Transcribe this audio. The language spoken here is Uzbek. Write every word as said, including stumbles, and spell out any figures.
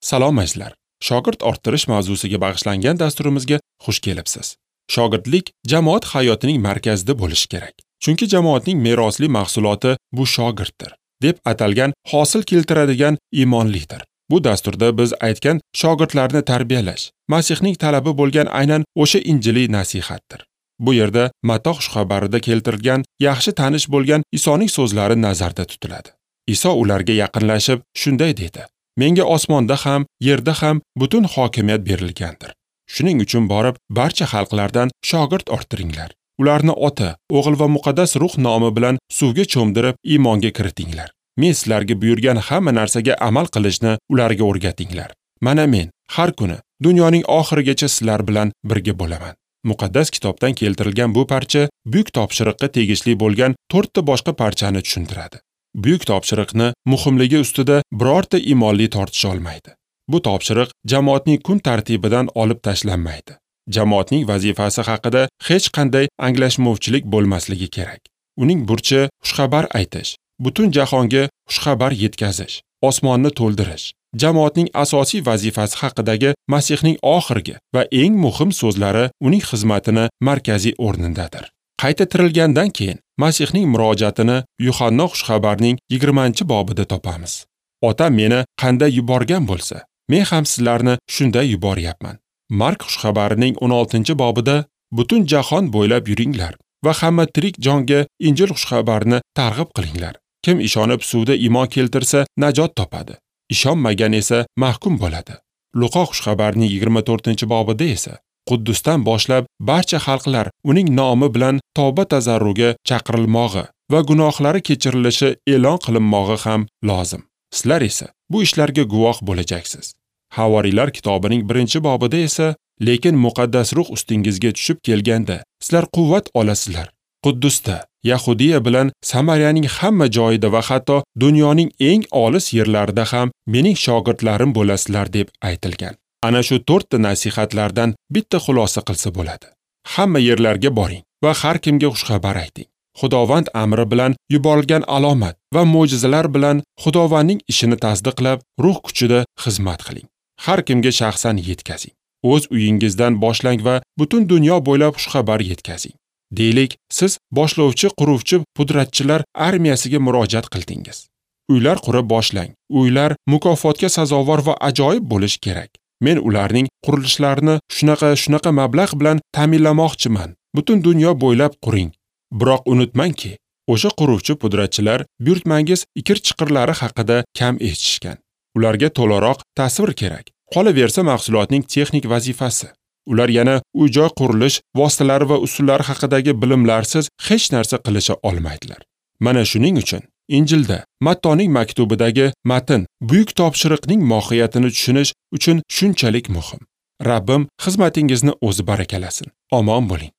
Salom azizlar. Shogird orttirish mavzusiga bag'ishlangan dasturimizga xush kelibsiz. Shogirdlik jamoat hayotining markazida bo'lishi kerak. Chunki jamoatning merosli mahsuloti bu shogirddir, deb atalgan hosil keltiradigan iymonlidir. Bu dasturda biz aytgan shogirdlarni tarbiyalash, Masihning talabi bo'lgan aynan o'sha injiliy nasihatdir. Bu yerda Matta xushxabarida keltirilgan yaxshi tanish bo'lgan Isoning so'zlari nazarda tutiladi. Iso ularga yaqinlashib shunday dedi: Menga osmonda ham, yerda ham butun hokimiyat berilgandir. Shuning uchun borib barcha xalqlardan shogird orttiringlar. Ularni Ota, O'g'il va Muqaddas Ruh nomi bilan suvga cho'mdirib iymonga kiritinglar. Men sizlarga buyurgan hamma narsaga amal qilishni ularga o'rgatinglar. Mana men har kuni dunyoning oxirigacha sizlar bilan birga bo'laman. Muqaddas kitobdan keltirilgan bu parcha buyuk topshiriqqa tegishli bo'lgan to'rtta boshqa parchani tushuntiradi. Buyuk topshiriqni muhimligi ustida birorta iymonli tortisha olmaydi. Bu topshiriq jamoatning kun tartibidan olib tashlanmaydi. Jamoatning vazifasi haqida hech qanday anglashmovchilik bo'lmasligi kerak. Uning burchi xushxabar aytish, butun jahonga xushxabar yetkazish, osmonni to'ldirish. Jamoatning asosiy vazifasi haqidagi Masihning oxirgi va eng muhim so'zlari uning xizmatini markaziy o'rnindadir. Qayta tirilgandan keyin Masihning murojaatini Yuhanna xushxabarning yigirmanchi bobida topamiz. Otam meni qanday yuborgan bo'lsa, men ham sizlarni shunday yuboryapman. Mark xushxabarining o'n oltinchi bobida butun jahon bo'ylab yuringlar va hamma tirik jonga Injil xushxabarini targ'ib qilinglar. Kim ishonib suvda iymon keltirsa najot topadi. Ishonmagan esa mahkum bo'ladi. Luqo xushxabarining yigirma to'rtinchi bobida esa Quddusdan boshlab barcha xalqlar uning nomi bilan tavba tazarruga chaqirilmog'i va gunohlari kechirilishi e'lon qilinmog'i ham lozim. Sizlar esa bu ishlarga guvoh bo'lajaksiz. Havoriylar kitobining birinchi bobida esa lekin muqaddas ruh ustingizga tushib kelganda sizlar quvvat olasizlar. Quddusda, Yahudiya bilan Samariyaning hamma joyida va hatto dunyoning eng olis yerlarida ham mening shogirdlarim bo'lasizlar deb aytilgan. Ana shu to'rtta nasihatlardan bitta xulosa qilsa bo'ladi. Hamma yerlarga boring va har kimga xushxabar ayting. Xudovand amri bilan yuborilgan alomat va mo'jizalar bilan Xudovandning ishini tasdiqlab, ruh kuchida xizmat qiling. Har kimga shaxsan yetkazing. O'z uyingizdan boshlang va butun dunyo bo'ylab xushxabar yetkazing. Deylik, siz boshlovchi, quruvchi, pudratchilar armiyasiga murojaat qildingiz. Uylar qurib boshlang. Uylar mukofotga sazovor va ajoyib bo'lishi kerak. Men ularning qurilishlarini shunaqa shunaqa mablag' bilan ta'minlamoqchiman. Butun dunyo bo'ylab quring. Biroq unutmangki, o'sha quruvchi pudratchilar buyurtmangiz ikir-chiqirlari haqida kam eshitishgan. Ularga to'laroq tasvir kerak. Qolaversa mahsulotning texnik vazifasi. Ular yana uy-joy qurilish vositalari va usullari haqidagi bilimlarsiz hech narsa qilisha olmaydilar. Mana shuning uchun Injilda Mattoning maktubidagi matn buyuk topshiriqning mohiyatini tushunish uchun shunchalik muhim. Rabbim xizmatingizni o'zi barakalasin. Omon bo'ling.